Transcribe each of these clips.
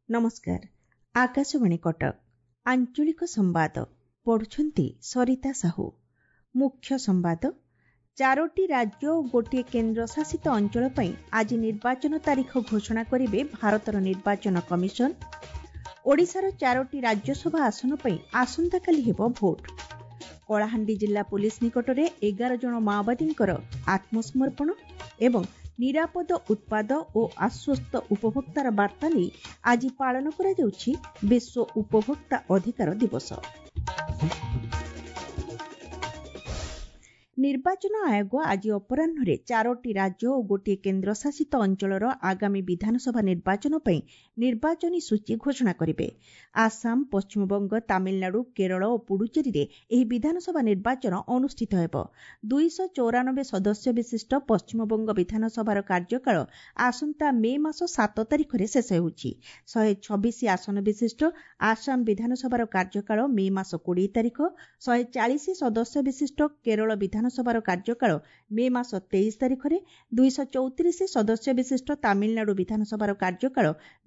ନମସ୍କାର, ଆକାଶବାଣୀ କଟକ। ଆଞ୍ଚଳିକ ସମ୍ବାଦ ପଢୁଛନ୍ତି ସରିତା ସାହୁ। ମୁଖ୍ୟ ସମ୍ବାଦ। ଚାରୋଟି ରାଜ୍ୟ ଓ ଗୋଟିଏ କେନ୍ଦ୍ରଶାସିତ ଅଞ୍ଚଳ ପାଇଁ ଆଜି ନିର୍ବାଚନ ତାରିଖ ଘୋଷଣା କରିବେ ଭାରତର ନିର୍ବାଚନ କମିଶନ। ଓଡ଼ିଶାର ଚାରୋଟି ରାଜ୍ୟସଭା ଆସନ ପାଇଁ ଆସନ୍ତାକାଲି ହେବ ଭୋଟ। କଳାହାଣ୍ଡି ଜିଲ୍ଲା ପୋଲିସ ନିକଟରେ 11 ଜଣ ମାଓବାଦୀଙ୍କର ଆତ୍ମସମର୍ପଣ ଏବଂ ନିରାପଦ ଉତ୍ପାଦ ଓ ଆଶ୍ୱସ୍ତ ଉପଭୋକ୍ତାର ବାର୍ତ୍ତା ନେଇ ଆଜି ପାଳନ କରାଯାଉଛି ବିଶ୍ୱ ଉପଭୋକ୍ତା ଅଧିକାର ଦିବସ। ନିର୍ବାଚନ ଆୟୋଗ ଆଜି ଅପରାହ୍ନରେ ଚାରୋଟି ରାଜ୍ୟ ଓ ଗୋଟିଏ କେନ୍ଦ୍ରଶାସିତ ଅଞ୍ଚଳର ଆଗାମୀ ବିଧାନସଭା ନିର୍ବାଚନ ପାଇଁ ନିର୍ବାଚନୀ ସୂଚୀ ଘୋଷଣା କରିବେ। ଆସାମ, ପଶ୍ଚିମବଙ୍ଗ, ତାମିଲନାଡୁ, କେରଳ ଓ ପୁଡୁଚେରୀରେ ଏହି ବିଧାନସଭା ନିର୍ବାଚନ ଅନୁଷ୍ଠିତ ହେବ। 294 ସଦସ୍ୟ ବିଶିଷ୍ଟ ପଶ୍ଚିମବଙ୍ଗ ବିଧାନସଭାର କାର୍ଯ୍ୟକାଳ ଆସନ୍ତା ମେ ମାସ 7 ତାରିଖରେ ଶେଷ ହେଉଛି। 126 ଆସନ ବିଶିଷ୍ଟ ଆସାମ ବିଧାନସଭାର କାର୍ଯ୍ୟକାଳ ମେ ମାସ 20 ତାରିଖ, 140 ସଦସ୍ୟ ବିଶିଷ୍ଟ କେରଳ ବିଧାନସଭାର କାର୍ଯ୍ୟକାଳ ମେ ମାସ 23 ତାରିଖରେ, 234 ସଦସ୍ୟ ବିଶିଷ୍ଟ ତାମିଲନାଡୁ ବିଧାନସଭାର କାର୍ଯ୍ୟକାଳ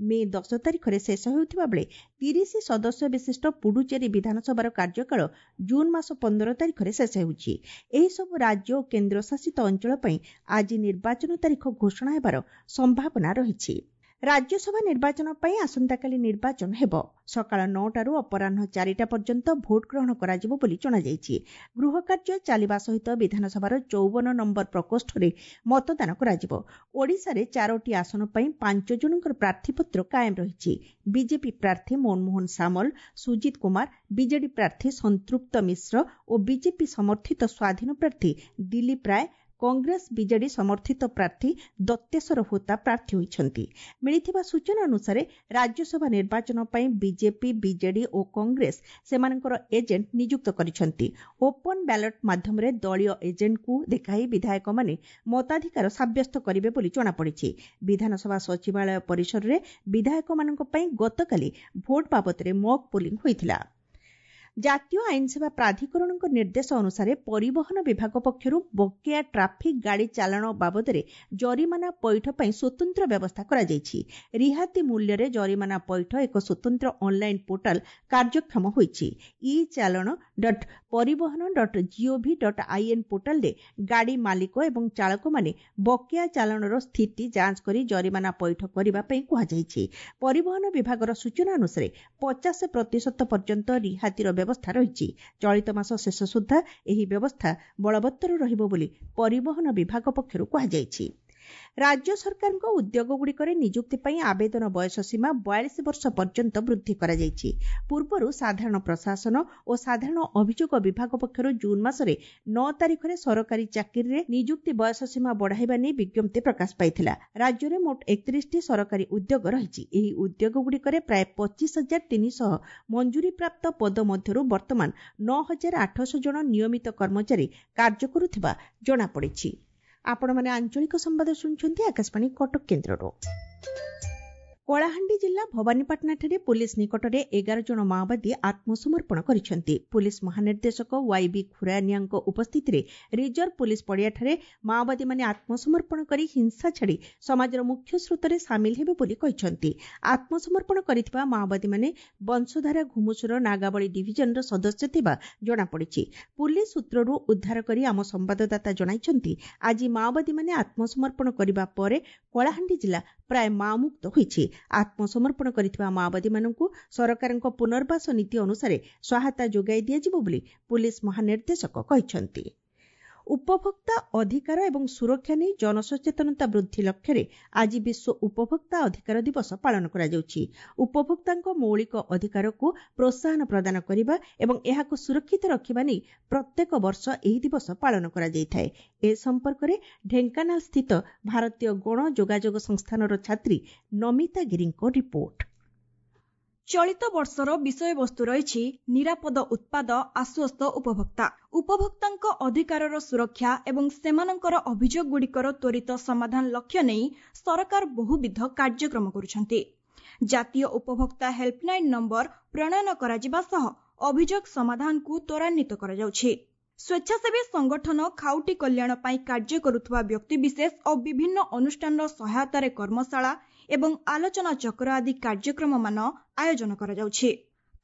ମେ 10 ତାରିଖରେ ଶେଷ ହେଉଥିବା ବେଳେ 30 ସଦସ୍ୟ ବିଶିଷ୍ଟ ପୁଡୁଚେରୀ ବିଧାନସଭାର କାର୍ଯ୍ୟକାଳ ଜୁନ୍ ମାସ 15 ତାରିଖରେ ଶେଷ ହେଉଛି। ଏହିସବୁ ରାଜ୍ୟ ଓ କେନ୍ଦ୍ରଶାସିତ ଅଞ୍ଚଳ ପାଇଁ ଆଜି ନିର୍ବାଚନ ତାରିଖ ଘୋଷଣା ହେବାର ସମ୍ଭାବନା ରହିଛି। ରାଜ୍ୟସଭା ନିର୍ବାଚନ ପାଇଁ ଆସନ୍ତାକାଲି ନିର୍ବାଚନ ହେବ। ସକାଳ 9ଟାରୁ ଅପରାହ୍ନ 4ଟା ପର୍ଯ୍ୟନ୍ତ ଭୋଟ ଗ୍ରହଣ କରାଯିବ ବୋଲି ଜଣାଯାଇଛି। ଗୃହ କାର୍ଯ୍ୟ ଚାଲିବା ସହିତ ବିଧାନସଭାର 54 ନମ୍ବର ପ୍ରକୋଷ୍ଠରେ ମତଦାନ କରାଯିବ। ଓଡ଼ିଶାରେ ଚାରୋଟି ଆସନ ପାଇଁ 5 ଜଣଙ୍କର ପ୍ରାର୍ଥୀପତ୍ର କାଏମ ରହିଛି। ବିଜେପି ପ୍ରାର୍ଥୀ ମନମୋହନ ସାମଲ, ସୁଜିତ କୁମାର, ବିଜେଡି ପ୍ରାର୍ଥୀ ସଂତୃପ୍ତ ମିଶ୍ର ଓ ବିଜେପି ସମର୍ଥିତ ସ୍ୱାଧୀନ ପ୍ରାର୍ଥୀ ଦିଲ୍ଲୀପ ରାୟ, କଂଗ୍ରେସ ବିଜେଡି ସମର୍ଥିତ ପ୍ରାର୍ଥୀ ଦତ୍ତେଶ୍ୱର ହୋତା ପ୍ରାର୍ଥୀ ହୋଇଛନ୍ତି। ମିଳିଥିବା ସୂଚନା ଅନୁସାରେ ରାଜ୍ୟସଭା ନିର୍ବାଚନ ପାଇଁ ବିଜେପି, ବିଜେଡି ଓ କଂଗ୍ରେସ ସେମାନଙ୍କର ଏଜେଣ୍ଟ ନିଯୁକ୍ତ କରିଛନ୍ତି। ଓପନ୍ ବ୍ୟାଲଟ ମାଧ୍ୟମରେ ଦଳୀୟ ଏଜେଣ୍ଟଙ୍କୁ ଦେଖାଇ ବିଧାୟକମାନେ ମତାଧିକାର ସାବ୍ୟସ୍ତ କରିବେ ବୋଲି ଜଣାପଡ଼ିଛି। ବିଧାନସଭା ସଚିବାଳୟ ପରିସରରେ ବିଧାୟକମାନଙ୍କ ପାଇଁ ଗତକାଲି ଭୋଟ ବାବଦରେ ମକ୍ ପୋଲିଂ ହୋଇଥିଲା। ଜାତୀୟ ଆଇନସେବା ପ୍ରାଧିକରଣଙ୍କ ନିର୍ଦ୍ଦେଶ ଅନୁସାରେ ପରିବହନ ବିଭାଗ ପକ୍ଷରୁ ବକେୟା ଟ୍ରାଫିକ୍ ଗାଡ଼ି ଚାଲାଣ ବାବଦରେ ଜରିମାନା ପଇଠ ପାଇଁ ସ୍ୱତନ୍ତ୍ର ବ୍ୟବସ୍ଥା କରାଯାଇଛି। ରିହାତି ମୂଲ୍ୟରେ ଜରିମାନା ପଇଠ ଏକ ସ୍ୱତନ୍ତ୍ର ଅନ୍ଲାଇନ୍ ପୋର୍ଟାଲ କାର୍ଯ୍ୟକ୍ଷମ ହୋଇଛି। ଇ ଚାଲାଣ ଡଟ୍ ପରିବହନ ଡଟ୍ ଜିଓଭି ଡଟ୍ ଆଇଏନ୍ ପୋର୍ଟାଲରେ ଗାଡ଼ି ମାଲିକ ଏବଂ ଚାଳକମାନେ ବକେୟା ଚାଲାଣର ସ୍ଥିତି ଯାଞ୍ଚ କରି ଜରିମାନା ପଇଠ କରିବା ପାଇଁ କୁହାଯାଇଛି। ପରିବହନ ବିଭାଗର ସୂଚନା ଅନୁସାରେ 50% ପର୍ଯ୍ୟନ୍ତ ରିହାତିର ବ୍ୟବସ୍ଥା ରହିଛି। ଚଳିତ ମାସ ଶେଷ ସୁଦ୍ଧା ଏହି ବ୍ୟବସ୍ଥା ବଳବତ୍ତର ରହିବ ବୋଲି ପରିବହନ ବିଭାଗ ପକ୍ଷରୁ କୁହାଯାଇଛି। ରାଜ୍ୟ ସରକାରଙ୍କ ଉଦ୍ୟୋଗଗୁଡ଼ିକରେ ନିଯୁକ୍ତି ପାଇଁ ଆବେଦନ ବୟସ ସୀମା 42 ବର୍ଷ ପର୍ଯ୍ୟନ୍ତ ବୃଦ୍ଧି କରାଯାଇଛି। ପୂର୍ବରୁ ସାଧାରଣ ପ୍ରଶାସନ ଓ ସାଧାରଣ ଅଭିଯୋଗ ବିଭାଗ ପକ୍ଷରୁ ଜୁନ୍ ମାସରେ 9 ତାରିଖରେ ସରକାରୀ ଚାକିରିରେ ନିଯୁକ୍ତି ବୟସ ସୀମା ବଢ଼ାଇବା ନେଇ ବିଜ୍ଞପ୍ତି ପ୍ରକାଶ ପାଇଥିଲା। ରାଜ୍ୟରେ ମୋଟ 31ଟି ସରକାରୀ ଉଦ୍ୟୋଗ ରହିଛି। ଏହି ଉଦ୍ୟୋଗଗୁଡ଼ିକରେ ପ୍ରାୟ 25,300 ମଞ୍ଜୁରୀପ୍ରାପ୍ତ ପଦ ମଧ୍ୟରୁ ବର୍ତ୍ତମାନ 9,800 ଜଣ ନିୟମିତ କର୍ମଚାରୀ କାର୍ଯ୍ୟ କରୁଥିବା ଜଣାପଡ଼ିଛି। ଆପଣମାନେ ଆଞ୍ଚଳିକ ସମ୍ବାଦ ଶୁଣୁଛନ୍ତି ଆକାଶବାଣୀ କଟକ କେନ୍ଦ୍ରରୁ। କଳାହାଣ୍ଡି ଜିଲ୍ଲା ଭବାନୀପାଟଣାଠାରେ ପୋଲିସ ନିକଟରେ 11 ଜଣ ମାଓବାଦୀ ଆତ୍ମସମର୍ପଣ କରିଛନ୍ତି। ପୋଲିସ ମହାନିର୍ଦ୍ଦେଶକ ୱାଇବି ଖୁରାନିଆଙ୍କ ଉପସ୍ଥିତିରେ ରିଜର୍ଭ ପୋଲିସ ପଡ଼ିଆଠାରେ ମାଓବାଦୀମାନେ ଆତ୍ମସମର୍ପଣ କରି ହିଂସା ଛାଡ଼ି ସମାଜର ମୁଖ୍ୟ ସ୍ରୋତରେ ସାମିଲ ହେବେ ବୋଲି କହିଛନ୍ତି। ଆତ୍ମସମର୍ପଣ କରିଥିବା ମାଓବାଦୀମାନେ ବଂଶଧାରା ଘୁମୁସୁର ନାଗାବଳୀ ଡିଭିଜନର ସଦସ୍ୟ ଥିବା ଜଣାପଡ଼ିଛି। ପୋଲିସ ସୂତ୍ରରୁ ଉଦ୍ଧାର କରି ଆମ ସମ୍ବାଦଦାତା ଜଣାଇଛନ୍ତି, ଆଜି ମାଓବାଦୀମାନେ ଆତ୍ମସମର୍ପଣ କରିବା ପରେ କଳାହାଣ୍ଡି ଜିଲ୍ଲା ପ୍ରାୟ ମାଓମୁକ୍ତ ହୋଇଛି। ଆତ୍ମସମର୍ପଣ କରିଥିବା ମାଓବାଦୀମାନଙ୍କୁ ସରକାରଙ୍କ ପୁନର୍ବାସ ନୀତି ଅନୁସାରେ ସହାୟତା ଯୋଗାଇ ଦିଆଯିବ ବୋଲି ପୋଲିସ ମହାନିର୍ଦ୍ଦେଶକ କହିଛନ୍ତି। ଉପଭୋକ୍ତା ଅଧିକାର ଏବଂ ସୁରକ୍ଷା ନେଇ ଜନସଚେତନତା ବୃଦ୍ଧି ଲକ୍ଷ୍ୟରେ ଆଜି ବିଶ୍ୱ ଉପଭୋକ୍ତା ଅଧିକାର ଦିବସ ପାଳନ କରାଯାଉଛି। ଉପଭୋକ୍ତାଙ୍କ ମୌଳିକ ଅଧିକାରକୁ ପ୍ରୋତ୍ସାହନ ପ୍ରଦାନ କରିବା ଏବଂ ଏହାକୁ ସୁରକ୍ଷିତ ରଖିବା ନେଇ ପ୍ରତ୍ୟେକ ବର୍ଷ ଏହି ଦିବସ ପାଳନ କରାଯାଇଥାଏ। ଏ ସମ୍ପର୍କରେ ଢେଙ୍କାନାଳ ସ୍ଥିତ ଭାରତୀୟ ଗଣ ଯୋଗାଯୋଗ ସଂସ୍ଥାନର ଛାତ୍ରୀ ନମିତା ଗିରିଙ୍କ ରିପୋର୍ଟ। ଚଳିତ ବର୍ଷର ବିଷୟବସ୍ତୁ ରହିଛି ନିରାପଦ ଉତ୍ପାଦ, ଆଶ୍ୱସ୍ତ ଉପଭୋକ୍ତା। ଉପଭୋକ୍ତାଙ୍କ ଅଧିକାରର ସୁରକ୍ଷା ଏବଂ ସେମାନଙ୍କର ଅଭିଯୋଗଗୁଡ଼ିକର ତ୍ୱରିତ ସମାଧାନ ଲକ୍ଷ୍ୟ ନେଇ ସରକାର ବହୁବିଧ କାର୍ଯ୍ୟକ୍ରମ କରୁଛନ୍ତି। ଜାତୀୟ ଉପଭୋକ୍ତା ହେଲ୍ପଲାଇନ୍ ନମ୍ବର ପ୍ରଣୟନ କରାଯିବା ସହ ଅଭିଯୋଗ ସମାଧାନକୁ ତ୍ୱରାନ୍ୱିତ କରାଯାଉଛି। ସ୍ୱେଚ୍ଛାସେବୀ ସଂଗଠନ, ଖାଉଟି କଲ୍ୟାଣ ପାଇଁ କାର୍ଯ୍ୟ କରୁଥିବା ବ୍ୟକ୍ତିବିଶେଷ ଓ ବିଭିନ୍ନ ଅନୁଷ୍ଠାନର ସହାୟତାରେ କର୍ମଶାଳା ଏବଂ ଆଲୋଚନା ଚକ୍ର ଆଦି କାର୍ଯ୍ୟକ୍ରମମାନ ଆୟୋଜନ କରାଯାଉଛି।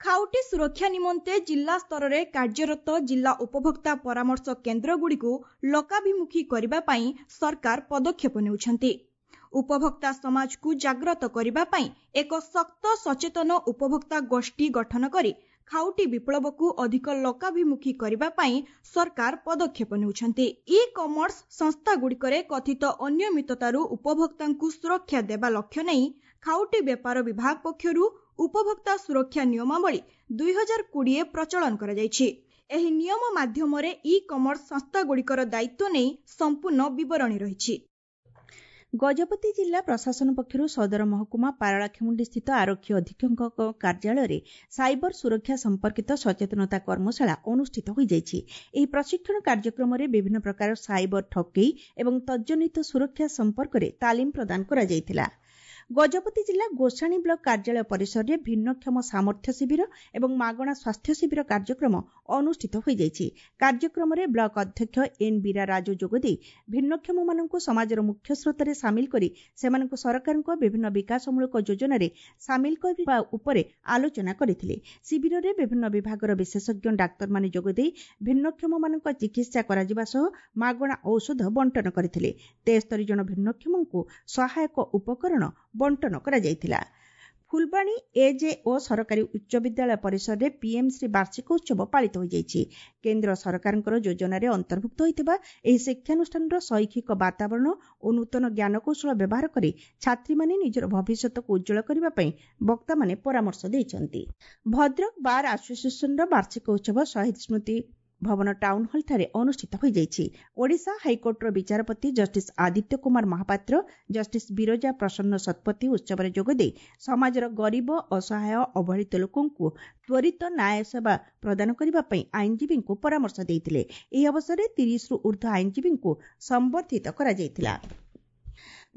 ଖାଉଟି ସୁରକ୍ଷା ନିମନ୍ତେ ଜିଲ୍ଲା ସ୍ତରରେ କାର୍ଯ୍ୟରତ ଜିଲ୍ଲା ଉପଭୋକ୍ତା ପରାମର୍ଶ କେନ୍ଦ୍ରଗୁଡ଼ିକୁ ଲୋକାଭିମୁଖୀ କରିବା ପାଇଁ ସରକାର ପଦକ୍ଷେପ ନେଉଛନ୍ତି। ଉପଭୋକ୍ତା ସମାଜକୁ ଜାଗ୍ରତ କରିବା ପାଇଁ ଏକ ଶକ୍ତ ସଚେତନ ଉପଭୋକ୍ତା ଗୋଷ୍ଠୀ ଗଠନ କରି ଖାଉଟି ବିପ୍ଳବକୁ ଅଧିକ ଲୋକାଭିମୁଖୀ କରିବା ପାଇଁ ସରକାର ପଦକ୍ଷେପ ନେଉଛନ୍ତି। ଇ କମର୍ସ ସଂସ୍ଥାଗୁଡ଼ିକରେ କଥିତ ଅନିୟମିତତାରୁ ଉପଭୋକ୍ତାଙ୍କୁ ସୁରକ୍ଷା ଦେବା ଲକ୍ଷ୍ୟ ନେଇ ଖାଉଟି ବ୍ୟାପାର ବିଭାଗ ପକ୍ଷରୁ ଉପଭୋକ୍ତା ସୁରକ୍ଷା ନିୟମାବଳୀ 2020 ପ୍ରଚଳନ କରାଯାଇଛି। ଏହି ନିୟମ ମାଧ୍ୟମରେ ଇ କମର୍ସ ସଂସ୍ଥାଗୁଡ଼ିକର ଦାୟିତ୍ୱ ନେଇ ସମ୍ପୂର୍ଣ୍ଣ ବିବରଣୀ ରହିଛି। ଗଜପତି ଜିଲ୍ଲା ପ୍ରଶାସନ ପକ୍ଷରୁ ସଦର ମହକୁମା ପାରଳାଖେମୁଣ୍ଡି ସ୍ଥିତ ଆରକ୍ଷୀ ଅଧୀକ୍ଷକଙ୍କ କାର୍ଯ୍ୟାଳୟରେ ସାଇବର ସୁରକ୍ଷା ସମ୍ପର୍କିତ ସଚେତନତା କର୍ମଶାଳା ଅନୁଷ୍ଠିତ ହୋଇଯାଇଛି। ଏହି ପ୍ରଶିକ୍ଷଣ କାର୍ଯ୍ୟକ୍ରମରେ ବିଭିନ୍ନ ପ୍ରକାର ସାଇବର ଠକେଇ ଏବଂ ତଜ୍ଜନିତ ସୁରକ୍ଷା ସମ୍ପର୍କରେ ତାଲିମ ପ୍ରଦାନ କରାଯାଇଥିଲା। ଗଜପତି ଜିଲ୍ଲା ଗୋସାଣୀ ବ୍ଲକ କାର୍ଯ୍ୟାଳୟ ପରିସରରେ ଭିନ୍ନକ୍ଷମ ସାମର୍ଥ୍ୟ ଶିବିର ଏବଂ ମାଗଣା ସ୍ୱାସ୍ଥ୍ୟ ଶିବିର କାର୍ଯ୍ୟକ୍ରମ ଅନୁଷ୍ଠିତ ହୋଇଯାଇଛି। କାର୍ଯ୍ୟକ୍ରମରେ ବ୍ଲକ ଅଧ୍ୟକ୍ଷ ଏନ୍ ବୀରା ରାଜୁ ଯୋଗଦେଇ ଭିନ୍ନକ୍ଷମମାନଙ୍କୁ ସମାଜର ମୁଖ୍ୟ ସ୍ରୋତରେ ସାମିଲ କରି ସେମାନଙ୍କୁ ସରକାରଙ୍କ ବିଭିନ୍ନ ବିକାଶମୂଳକ ଯୋଜନାରେ ସାମିଲ କରିବା ଉପରେ ଆଲୋଚନା କରିଥିଲେ। ଶିବିରରେ ବିଭିନ୍ନ ବିଭାଗର ବିଶେଷଜ୍ଞ ଡାକ୍ତରମାନେ ଯୋଗଦେଇ ଭିନ୍ନକ୍ଷମମାନଙ୍କ ଚିକିତ୍ସା କରାଯିବା ସହ ମାଗଣା ଔଷଧ ବଣ୍ଟନ କରିଥିଲେ। 73 ଜଣ ଭିନ୍ନକ୍ଷମଙ୍କୁ ସହାୟକ ଉପକରଣ ବଣ୍ଟନ କରାଯାଇଥିଲା। ଫୁଲବାଣୀ ଏଜେଓ ସରକାରୀ ଉଚ୍ଚ ବିଦ୍ୟାଳୟ ପରିସରରେ ପିଏମ୍ଶ୍ରୀ ବାର୍ଷିକ ଉତ୍ସବ ପାଳିତ ହୋଇଯାଇଛି। କେନ୍ଦ୍ର ସରକାରଙ୍କର ଯୋଜନାରେ ଅନ୍ତର୍ଭୁକ୍ତ ହୋଇଥିବା ଏହି ଶିକ୍ଷାନୁଷ୍ଠାନର ଶୈକ୍ଷିକ ବାତାବରଣ ଓ ନୂତନ ଜ୍ଞାନକୌଶଳ ବ୍ୟବହାର କରି ଛାତ୍ରୀମାନେ ନିଜର ଭବିଷ୍ୟତକୁ ଉଜ୍ଜଳ କରିବା ପାଇଁ ବକ୍ତାମାନେ ପରାମର୍ଶ ଦେଇଛନ୍ତି। ଭଦ୍ରକ ବାର୍ ଆସୋସିଏସନର ବାର୍ଷିକ ଉତ୍ସବ ଶହୀଦ ସ୍ମୃତି ଭବନ ଟାଉନ୍ ହଲ୍ଠାରେ ଅନୁଷ୍ଠିତ ହୋଇଯାଇଛି। ଓଡ଼ିଶା ହାଇକୋର୍ଟର ବିଚାରପତି ଜଷ୍ଟିସ୍ ଆଦିତ୍ୟ କୁମାର ମହାପାତ୍ର, ଜଷ୍ଟିସ୍ ବିରଜା ପ୍ରସନ୍ନ ଶତପଥୀ ଉତ୍ସବରେ ଯୋଗଦେଇ ସମାଜର ଗରିବ, ଅସହାୟ, ଅବହେଳିତ ଲୋକଙ୍କୁ ତ୍ୱରିତ ନ୍ୟାୟ ସେବା ପ୍ରଦାନ କରିବା ପାଇଁ ଆଇନଜୀବୀଙ୍କୁ ପରାମର୍ଶ ଦେଇଥିଲେ। ଏହି ଅବସରରେ 30ରୁ ଉର୍ଦ୍ଧ୍ୱ ଆଇନଜୀବୀଙ୍କୁ ସମ୍ବର୍ଦ୍ଧିତ କରାଯାଇଥିଲା।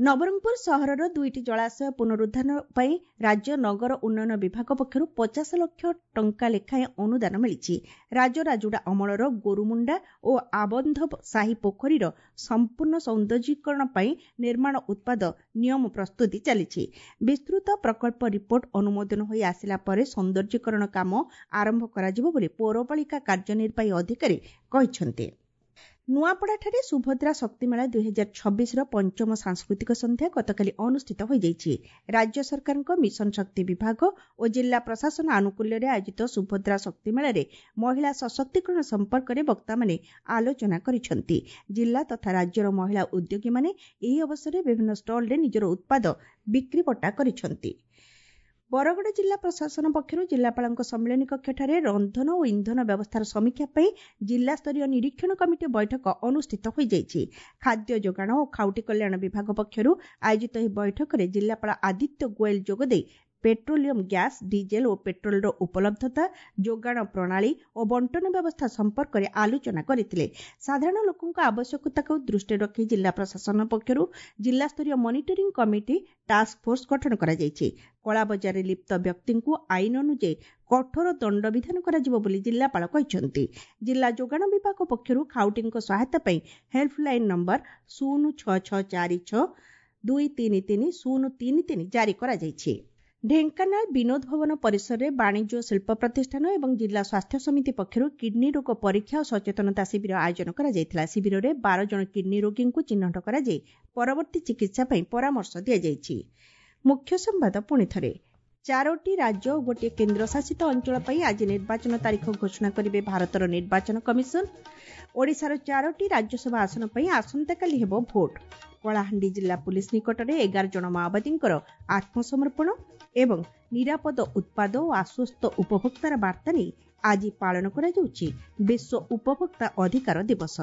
ନବରଙ୍ଗପୁର ସହରର ଦୁଇଟି ଜଳାଶୟ ପୁନରୁଦ୍ଧାର ପାଇଁ ରାଜ୍ୟ ନଗର ଉନ୍ନୟନ ବିଭାଗ ପକ୍ଷରୁ 50 ଲକ୍ଷ ଟଙ୍କା ଲେଖାଏଁ ଅନୁଦାନ ମିଳିଛି। ରାଜରାଜୁଡ଼ା ଅମଳର ଗୋରୁମୁଣ୍ଡା ଓ ଆବନ୍ଧ ସାହି ପୋଖରୀର ସମ୍ପୂର୍ଣ୍ଣ ସୌନ୍ଦର୍ଯ୍ୟୀକରଣ ପାଇଁ ନିର୍ମାଣ ଉତ୍ପାଦ ନିୟମ ପ୍ରସ୍ତୁତି ଚାଲିଛି। ବିସ୍ତୃତ ପ୍ରକଳ୍ପ ରିପୋର୍ଟ ଅନୁମୋଦନ ହୋଇ ଆସିଲା ପରେ ସୌନ୍ଦର୍ଯ୍ୟୀକରଣ କାମ ଆରମ୍ଭ କରାଯିବ ବୋଲି ପୌରପାଳିକା କାର୍ଯ୍ୟନିର୍ବାହୀ ଅଧିକାରୀ କହିଛନ୍ତି। ନୂଆପଡ଼ାଠାରେ ସୁଭଦ୍ରା ଶକ୍ତିମେଳା 2026ର ପଞ୍ଚମ ସାଂସ୍କୃତିକ ସନ୍ଧ୍ୟା ଗତକାଲି ଅନୁଷ୍ଠିତ ହୋଇଯାଇଛି। ରାଜ୍ୟ ସରକାରଙ୍କ ମିଶନ ଶକ୍ତି ବିଭାଗ ଓ ଜିଲ୍ଲା ପ୍ରଶାସନ ଆନୁକୂଲ୍ୟରେ ଆୟୋଜିତ ସୁଭଦ୍ରା ଶକ୍ତିମେଳାରେ ମହିଳା ସଶକ୍ତିକରଣ ସମ୍ପର୍କରେ ବକ୍ତାମାନେ ଆଲୋଚନା କରିଛନ୍ତି। ଜିଲ୍ଲା ତଥା ରାଜ୍ୟର ମହିଳା ଉଦ୍ୟୋଗୀମାନେ ଏହି ଅବସରରେ ବିଭିନ୍ନ ଷ୍ଟଲରେ ନିଜର ଉତ୍ପାଦ ବିକ୍ରିବଟା କରିଛନ୍ତି। ବରଗଡ଼ ଜିଲ୍ଲା ପ୍ରଶାସନ ପକ୍ଷରୁ ଜିଲ୍ଲାପାଳଙ୍କ ସମ୍ମିଳନୀ କକ୍ଷଠାରେ ରନ୍ଧନ ଓ ଇନ୍ଧନ ବ୍ୟବସ୍ଥାର ସମୀକ୍ଷା ପାଇଁ ଜିଲ୍ଲାସ୍ତରୀୟ ନିରୀକ୍ଷଣ କମିଟି ବୈଠକ ଅନୁଷ୍ଠିତ ହୋଇଯାଇଛି। ଖାଦ୍ୟ ଯୋଗାଣ ଓ ଖାଉଟି କଲ୍ୟାଣ ବିଭାଗ ପକ୍ଷରୁ ଆୟୋଜିତ ଏହି ବୈଠକରେ ଜିଲ୍ଲାପାଳ ଆଦିତ୍ୟ ଗୋଏଲ ଯୋଗଦେଇ ପେଟ୍ରୋଲିୟମ ଗ୍ୟାସ୍, ଡିଜେଲ ଓ ପେଟ୍ରୋଲର ଉପଲବ୍ଧତା, ଯୋଗାଣ ପ୍ରଣାଳୀ ଓ ବଣ୍ଟନ ବ୍ୟବସ୍ଥା ସମ୍ପର୍କରେ ଆଲୋଚନା କରିଥିଲେ। ସାଧାରଣ ଲୋକଙ୍କ ଆବଶ୍ୟକତାକୁ ଦୃଷ୍ଟିରେ ରଖି ଜିଲ୍ଲା ପ୍ରଶାସନ ପକ୍ଷରୁ ଜିଲ୍ଲାସ୍ତରୀୟ ମନିଟରିଂ କମିଟି ଟାସ୍କ ଫୋର୍ସ ଗଠନ କରାଯାଇଛି। କଳାବଜାରରେ ଲିପ୍ତ ବ୍ୟକ୍ତିଙ୍କୁ ଆଇନ ଅନୁଯାୟୀ କଠୋର ଦଣ୍ଡବିଧାନ କରାଯିବ ବୋଲି ଜିଲ୍ଲାପାଳ କହିଛନ୍ତି। ଜିଲ୍ଲା ଯୋଗାଣ ବିଭାଗ ପକ୍ଷରୁ ଖାଉଟିଙ୍କ ସହାୟତା ପାଇଁ ହେଲ୍ପଲାଇନ୍ ନମ୍ବର 06646 233 033 ଜାରି କରାଯାଇଛି। ଢେଙ୍କାନାଳ ବିନୋଦ ଭବନ ପରିସରରେ ବାଣିଜ୍ୟ ଓ ଶିଳ୍ପ ପ୍ରତିଷ୍ଠାନ ଏବଂ ଜିଲ୍ଲା ସ୍ୱାସ୍ଥ୍ୟ ସମିତି ପକ୍ଷରୁ କିଡ୍ନି ରୋଗ ପରୀକ୍ଷା ଓ ସଚେତନତା ଶିବିର ଆୟୋଜନ କରାଯାଇଥିଲା। ଶିବିରରେ 12 ଜଣ କିଡ୍ନି ରୋଗୀଙ୍କୁ ଚିହ୍ନଟ କରାଯାଇ ପରବର୍ତ୍ତୀ ଚିକିତ୍ସା ପାଇଁ ପରାମର୍ଶ ଦିଆଯାଇଛି। ମୁଖ୍ୟ ସମ୍ବାଦ ପୁଣି ଥରେ। 4ଟି ରାଜ୍ୟ ଓ ଗୋଟିଏ କେନ୍ଦ୍ରଶାସିତ ଅଞ୍ଚଳ ପାଇଁ ଆଜି ନିର୍ବାଚନ ତାରିଖ ଘୋଷଣା କରିବେ ଭାରତର ନିର୍ବାଚନ କମିଶନ। ଓଡ଼ିଶାର 4ଟି ରାଜ୍ୟସଭା ଆସନ ପାଇଁ ଆସନ୍ତାକାଲି ହେବ ଭୋଟ। କଳାହାଣ୍ଡି ଜିଲ୍ଲା ପୁଲିସ ନିକଟରେ 11 ଜଣ ମାଓବାଦୀଙ୍କର ଆତ୍ମସମର୍ପଣ ଏବଂ ନିରାପଦ ଉତ୍ପାଦ ଓ ଆଶ୍ୱସ୍ତ ଉପଭୋକ୍ତାର ବାର୍ତ୍ତା ନେଇ ଆଜି ପାଳନ କରାଯାଉଛି ବିଶ୍ୱ ଉପଭୋକ୍ତା ଅଧିକାର ଦିବସ।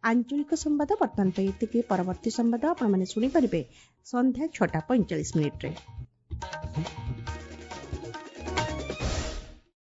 ଆଞ୍ଚଳିକ ସମ୍ବାଦ ବର୍ତ୍ତମାନ ପାଇଁ ଏତିକି। ପରବର୍ତ୍ତୀ ସମ୍ବାଦ ଆପଣମାନେ ଶୁଣିପାରିବେ ସନ୍ଧ୍ୟା 6:45।